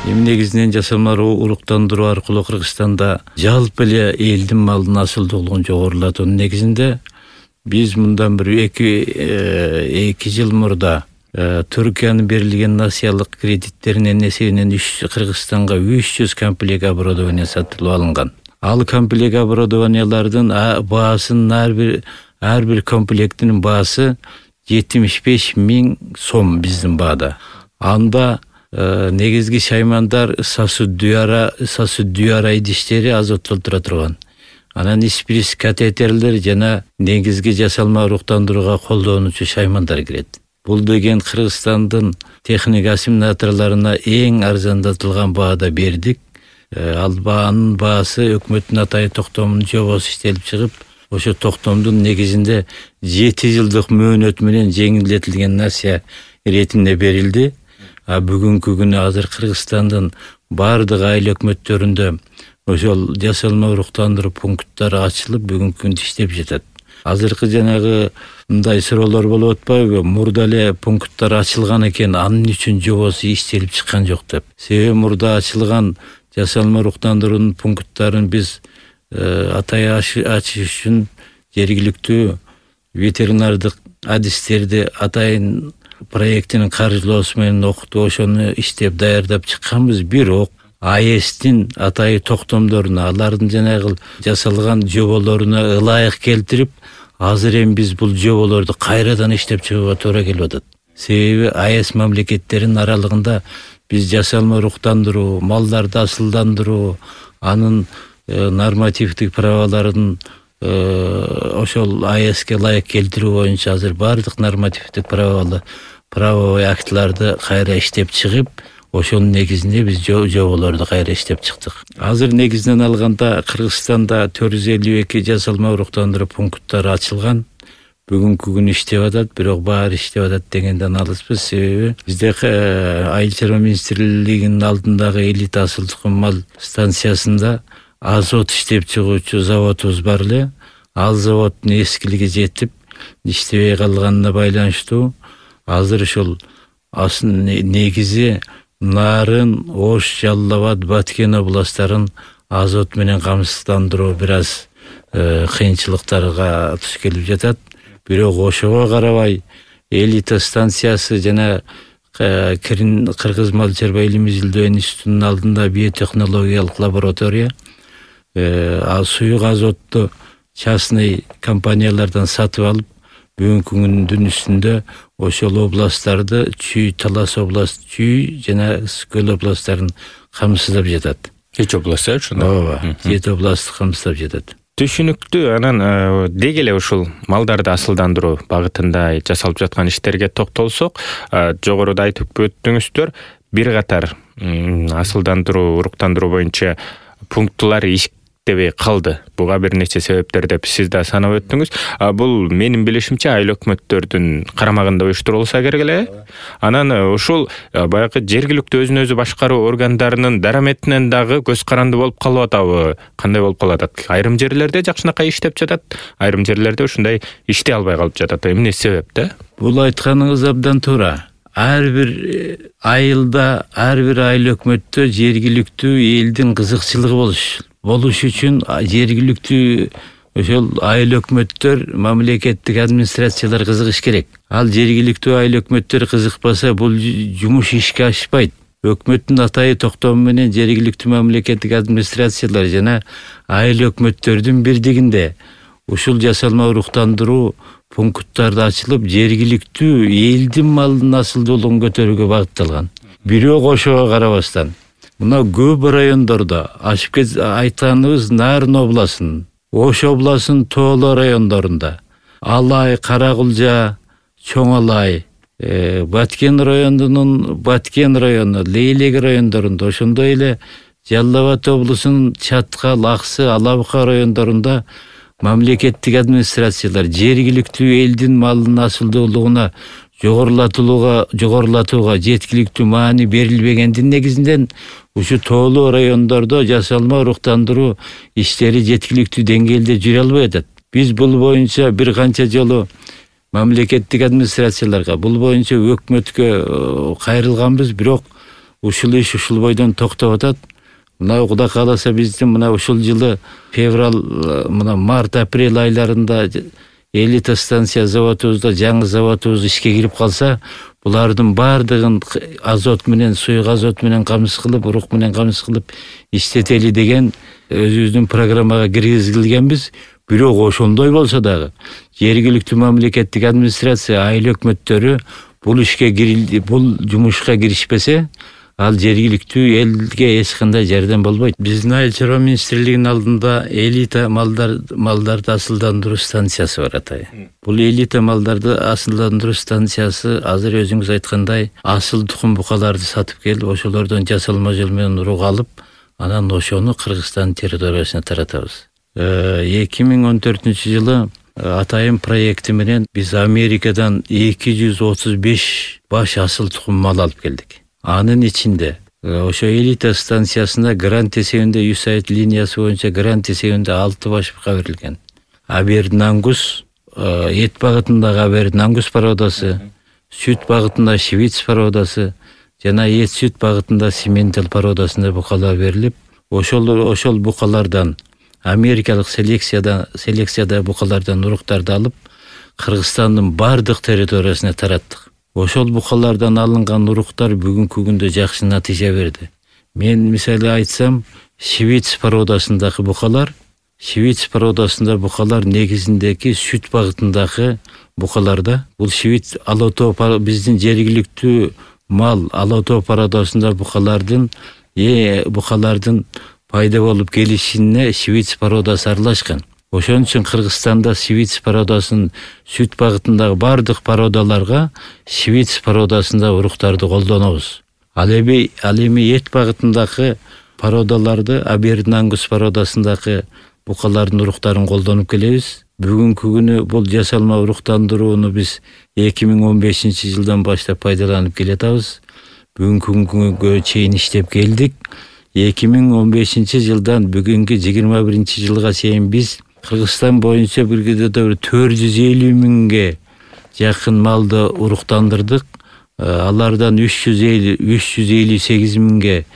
Эми негизинен жасалма уруктандыруу аркылуу Кыргызстанда жалпы эле элдин малынын асылдуулугун жогорулатуунун негизинде биз мындан бир 2 жыл мурда Түркиянын берилген насыялык кредиттеринин эсебинен Кыргызстанга 300 комплект оборудование сатылып алынган. Ал комплект оборудованиялардын баасынын ар бир комплектинин баасы 75 000 сом биздин баада. Анда негизги шаймандар сасуддуяра идиштери азоттолтура турган. Анан исприс катетерлер жана негизги жасалма уруктандырууга колдонуучу шаймандар кирет. Бул деген Кыргызстандын техника ассимиляторлоруна эң арзандатылган баада бердик. Ал баанын баасы өкмөттүн атайын токтомунун жобосу иштелип чыгып, ошо токтомдун негизинде 7 жылдык мөөнөт менен жеңилдетилген насыя иретинде берилди. Бүгүнкү күнү азыр Кыргызстандын бардык айыл өкмөттөрүндө ошол жасалма уруктандыруу пункттары ачылып бүгүнкү күндө иштеп жатат. Азыркы жанагы мындай суроолор болуп атпайбы? Мурда эле пункттар ачылган экен, анын үчүн жобосу иштелип чыккан жок деп. Себеби мурда ачылган жасалма уруктандыруунун пункттарын биз атай ачыш үчүн жергиликтүү ветеринардык адистерди атайын проектинин каржылоосу менен окутуп ошону иштеп даярдап чыкканбыз. Бирок АЭСтин атайын токтомдоруна, алардын жанагы жасалган жоболоруна ылайык келтирип, азыр эми биз бул жоболорду кайрадан иштеп чыгууга туура келип атат. Себеби АЭС мамлекеттеринин аралыгында биз жасалма уруктандыруу, малдарды асылдандыруу, анын нормативдик праваларын ошол АЭСке ылайык келтирүү боюнча азыр бардык нормативдик правовой актыларды кайра иштеп чыгып, ошонун негизинде биз жоболорду кайра иштеп чыктык. Азыр негизинен алганда Кыргызстанда 452 жасалма уруктандыруу пункттары ачылган. Бүгүнкү күнү иштеп атат, бирок баары иштеп атат дегенден алыспыз. Себеби бизде Айыл чарба министрлигинин алдындагы элита асыл тукум мал станциясында азот иштеп чыгуучу заводубуз бар эле. Ал заводдун эскилиги жетип, иштебей калганына байланыштуу азыр ошол негизи Нарын, Ош, Жалал Абад, Баткен областтарын азот менен камсыздандыруу бир аз кыйынчылыктарга туш келип жатат. Бирок ошого карабай элита станциясы жана Кыргыз мал чарба илим изилдөө институтунун алдында биотехнологиялык лаборатория суюк азотту частный компаниялардан сатып алып, бүгүнкү күндүн үстүндө ошол областтарды Чүй, Талас область, Чүй жана Көл областтарын камсыздап жатат. 7 област ошондо. Ооба, 7 областты камсыздап жатат. Түшүнүктүү. Анан деги эле ушул малдарды асылдандыруу багытында жасалып жаткан иштерге токтолсок, жогоруда айтып өттүңүздөр, бир катар асылдандыруу, уруктандыруу боюнча пункттар иштебей калды. Буга бир нече себептер деп сиз да санап өттүңүз. Бул менин билишимче айыл өкмөттөрдүн карамагында уюштурулса керек эле. Анан ушул баягы жергиликтүү өзүн өзү башкаруу органдарынын дараметинен дагы көз каранды болуп калып атабы? Кандай болуп калат? Айрым жерлерде жакшынакай иштеп жатат, айрым жерлерде ушундай иштей албай калып жатат. Эмне себеп да? Бул айтканыңыз абдан туура. Ар бир айылда, ар бир айыл өкмөттө жергиликтүү элдин кызыкчылыгы болуш үчүн жергиликтүү ошол айыл өкмөттөр, мамлекеттик администрациялар кызыгыш керек. Ал жергиликтүү айыл өкмөттөр кызыкпаса, бул жумуш ишке ашпайт. Өкмөттүн атайы токтому менен жергиликтүү мамлекеттик администрациялар жана айыл өкмөттөрдүн бирдигинде ушул жасалма уруктандыруу пункттарды ачылып, жергиликтүү элдин малынын асылдуулугун көтөрүүгө багытталган. Бирок ошого карабастан мына көп райондордо айтканыбыз Нарын областынын, Ош областынын тооло райондорунда, Алай, Каракулжа, Чоң Алай, Баткен районунун Баткен району, Лейлек райондорунда, ошондой эле Жалал Абад облусунун Чаткал, Аксы, Алабука райондорунда мамлекеттик администрациялар жергиликтүү элдин малынын асылдуулугуна жогорулатууга жеткиликтүү маани берилбегендин негизинен ушу тоолуу райондордо жасалма уруктандыруу иштери жеткиликтүү деңгээлде жүрө албай атат. Биз бул боюнча бир канча жолу мамлекеттик администрацияларга, бул боюнча өкмөткө кайрылганбыз, бирок ушул иш ушул бойдон токтоп атат. Мына Кудай кааласа биздин мына ушул жылы февраль, мына март, апрель айларында элита станция заводубузда жаңы заводубуз ишке кирип калса, булардын баардыгын азот менен, суюк азот менен камсыз кылып, урук менен камсыз кылып иштетели деген өзүбүздүн программага киргизилгенбиз. Бирок ошондой болсо дагы жергиликтүү мамлекеттик администрация, айыл өкмөттөрү бул ишке бул жумушка киришпесе, ал жергиликтүү элге эч кандай жардам болбойт. Биздин Айыл чарба министрлигинин алдында элита малдарды асылдандыруу станциясы бар атай. Бул элита малдарды асылдандыруу станциясы азыр өзүңүз айткандай асыл тукум букаларды сатып келип, ошолордон жасалма жол менен урук алып, анан ошону Кыргызстан территориясына таратабыз. 2014-жылы атайын проекти менен биз Америкадан 235 баш асыл тукум мал алып келдик. Анын ичинде ошо элита станциясына грант эсебинде USAID линиясы боюнча грант эсебинде 6 баш бука берилген. Абердин ангус, эт багытындагы Абердин ангус породасы, сүт багытында Швиц породасы жана эт сүт багытында Симентал породасында букалар берилип, ошол букалардан америкалык селекцияда букалардан уруктарды алып, Кыргызстандын бардык территориясына тараттык. Ошол букалардан алынган уруктар бүгүнкү күндө жакшы натыйжа берди. Мен мисалы айтсам, Швиц породасындагы букалар негизиндеги сүт багытындагы букаларда. Бул Швиц Алатоо биздин жергиликтүү мал Алатоо породасында букалардын пайда болуп келишине Швиц породасы аралашкан. Ошон үчүн Кыргызстанда Швиц породасын сүт багытындагы бардык породаларга Швиц породасында уруктарды колдонобуз. Ал эми эт багытындагы породаларды Абердин ангус породасындагы букалардын уруктарын колдонуп келебиз. Бүгүнкү күнү бул жасалма уруктандырууну биз 2015-жылдан баштап пайдаланып келатабыз. Бүгүнкү күнгө чейин иштеп келдик. 2015-жылдан бүгүнкү 21-жылга чейин биз Кыргызстан боюнча бир күндө 450 миңге жакын малды уруктандырдык. Алардан 358 миңге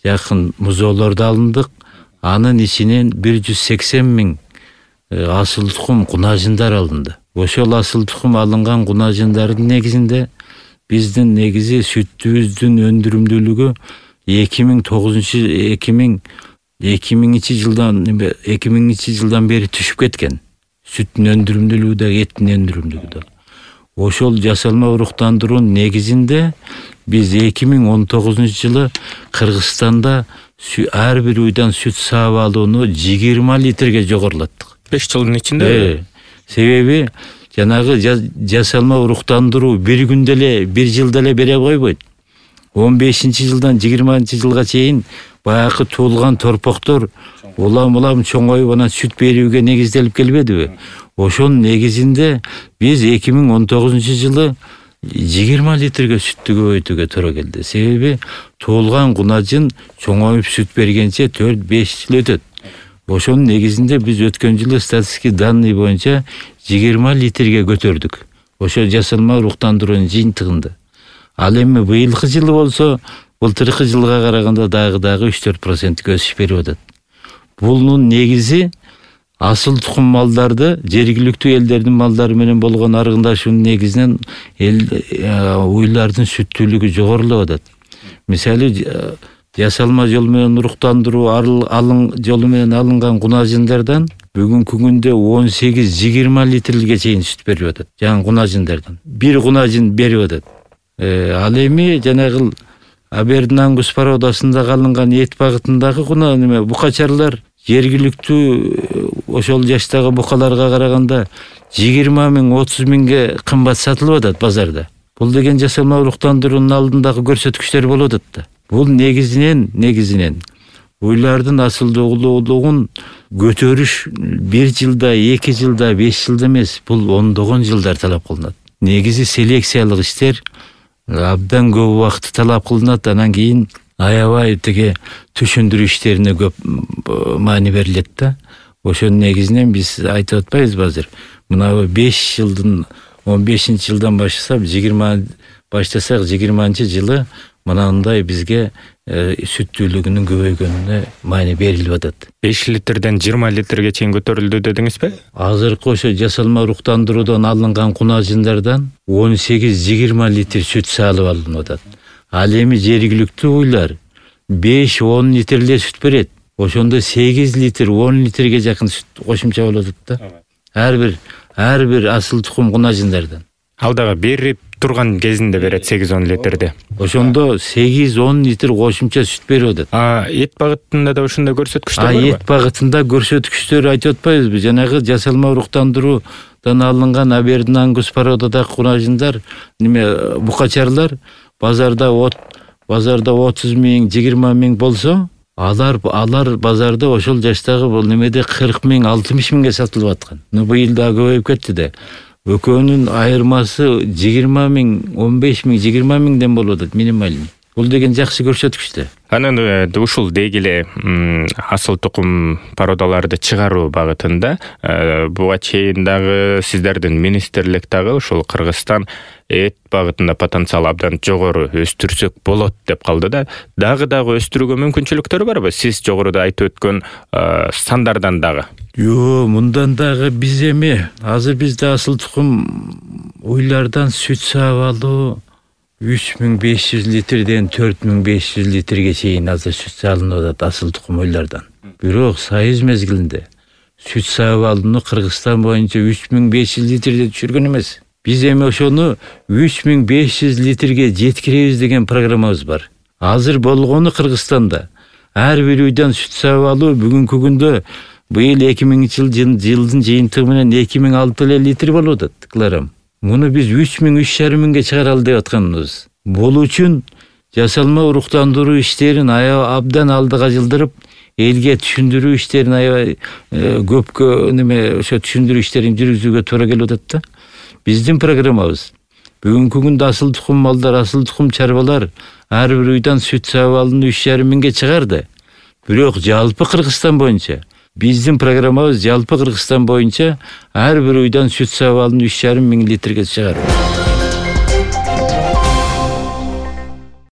жакын музоолорду алындык. Анын ичинен 180 миң асыл тукум кунажындар алынды. Ошол асыл тукум алынган кунажындардын негизинде биздин негизи сүтүбүздүн өндүрүмдүүлүгү 2000-жылдан бери түшүп кеткен. Сүттүн өндүрүмдүүлүгү да, эттин өндүрүмдүүлүгү да. Ошол жасалма уруктандыруунун негизинде биз 2019-жылы Кыргызстанда ар бир уйдан сүт саап алууну 20 литрге жогорулаттык. 5 жылдын ичинде. Себеби жанагы жасалма уруктандыруу бир күндө эле, бир жылда эле бере койбойт. 15-жылдан 20-жылга чейин баягы туулган торпоктор улам чоңоюп анан сүт берүүгө негизделип келбедиби? Ошонун негизинде биз 2019-жылы 20 литрге сүттү көбөйтүүгө туура келди. Себеби туулган кунажын чоңоюп сүт бергенче 4-5 жыл өтөт. Ошонун негизинде биз өткөн жылы статистика данный боюнча 20 литрге көтөрдүк. Ошо жасалма уруктандыруунун жыйынтыгында. Ал эми быйылкы жылы болсо, былтыркы жылга караганда дагы 3-4% өсүш берип атат. Бунун негизи асыл тукум малдарды жергиликтүү элдердин малдары менен болгон аргындашуунун негизинен уйлардын сүттүүлүгү жогорулап атат. Мисалы жасалма жол менен уруктандыруу жолу менен алынган кунажындардан бүгүнкү күндө 18-20 литрге чейин сүт берип атат. Жаңы кунажындардан бир кунажын берип атат. Ал эми жанагы Абердин ангус породасында алынган эт багытындагы букачарлар жергиликтүү ошол жаштагы букаларга караганда 20 миң, 30 миңге кымбат сатылып атат базарда. Бул деген жасалма уруктандыруунун алдындагы көрсөткүчтөр болуп атат да. Бул негизинен уйлардын асылдуулугун көтөрүш 1 жылда, 2 жылда, 5 жылда эмес, бул ондогон жылдар талап кылынат. Негизи селекциялык иштер абдан көп убакыт талап кылынат, анан кийин аябай тиги түшүндүрүү иштерине көп маани берилет да. Ошонун негизинен биз айтып атпайбызбы азыр? Мына 5 жылдын 15-жылдан баштасак 20-жылы мынандай бизге сүттүүлүгүнүн көбөйгөнүнө маани берилип атат. 5 литрден 20 литрге чейин көтөрүлдү дедиңизби? Азыркы ошо жасалма уруктандыруудан алынган кунажиндардан 18-20 литр сүт салып алынып атат. Ал эми жергиликтүү уйлар 5-10 литр эле сүт берет. Ошондо 8 литр, 10 литрге жакын сүт кошумча болот да. Ар бир асыл тукум кунажиндардан. Ал дагы берип турган кезинде берет 8-10 литрде. Ошондо 8-10 литр кошумча сүт берип атат. Эт багытында да ошондой көрсөткүчтөр барбы? Эт багытында көрсөткүчтөр айтып атпайбызбы? Жанагы жасалма уруктандыруудан алынган Абердин Ангус породадагы кунажиндар, букачарлар базарда 30 миң, 20 миң болсо, алар базарда ошол жаштагы бул немеде 40 миң, 60 миңге сатылып аткан. Быйыл да көбөйүп кетти да. Экөөнүн айырмасы 20 миң, 15 миң, 20 миңден болуп атат минималный. Бул деген жакшы көрсөткүч да. Анан ушул дегеле асыл тукум породаларды чыгаруу багытында буга чейин дагы сиздердин министрлик дагы ушул Кыргызстан эт багытында потенциал абдан жогору өстүрсөк болот деп калды да. Дагы өстүрүүгө мүмкүнчүлүктөр барбы? Сиз жогоруда айтып өткөн сандардан дагы. Мындан дагы биз эми азыр бизде асыл тукум уйлардан сүт саап алуу 3500 литрден 4500 литрге чейин азыр сүт салынып атат асыл тукум уйлардан. Бирок союз мезгилинде сүт саап алууну Кыргызстан боюнча 3500 литрде түшүргөн эмес. Биз эми ошону 3500 литрге жеткиребиз деген программабыз бар. Азыр болгону Кыргызстанда ар бир үйдөн сүт саап алуу бүгүнкү күндө быйыл 2000-жылдын жыйынтыгы менен 2006 литр болуп атат килограмм. Муну биз 3,5 миңге чыгаралы деп атканбыз. Бул үчүн жасалма уруктандыруу иштерин абдан алдыга жылдырып, элге түшүндүрүү иштерин көпкө ошо түшүндүрүү иштерин жүргүзүүгө туура келип атат да. Биздин программабыз бүгүнкү күндө асыл тукум малдар, асыл тукум чарбалар ар бир үйдөн сүт саап алууну 3,5 миңге чыгарды. Бирок жалпы Кыргызстан боюнча биздин программабыз жалпы Кыргызстан боюнча ар бир үйдөн сүт саап алууну 3,5 миң литрге чыгаруу.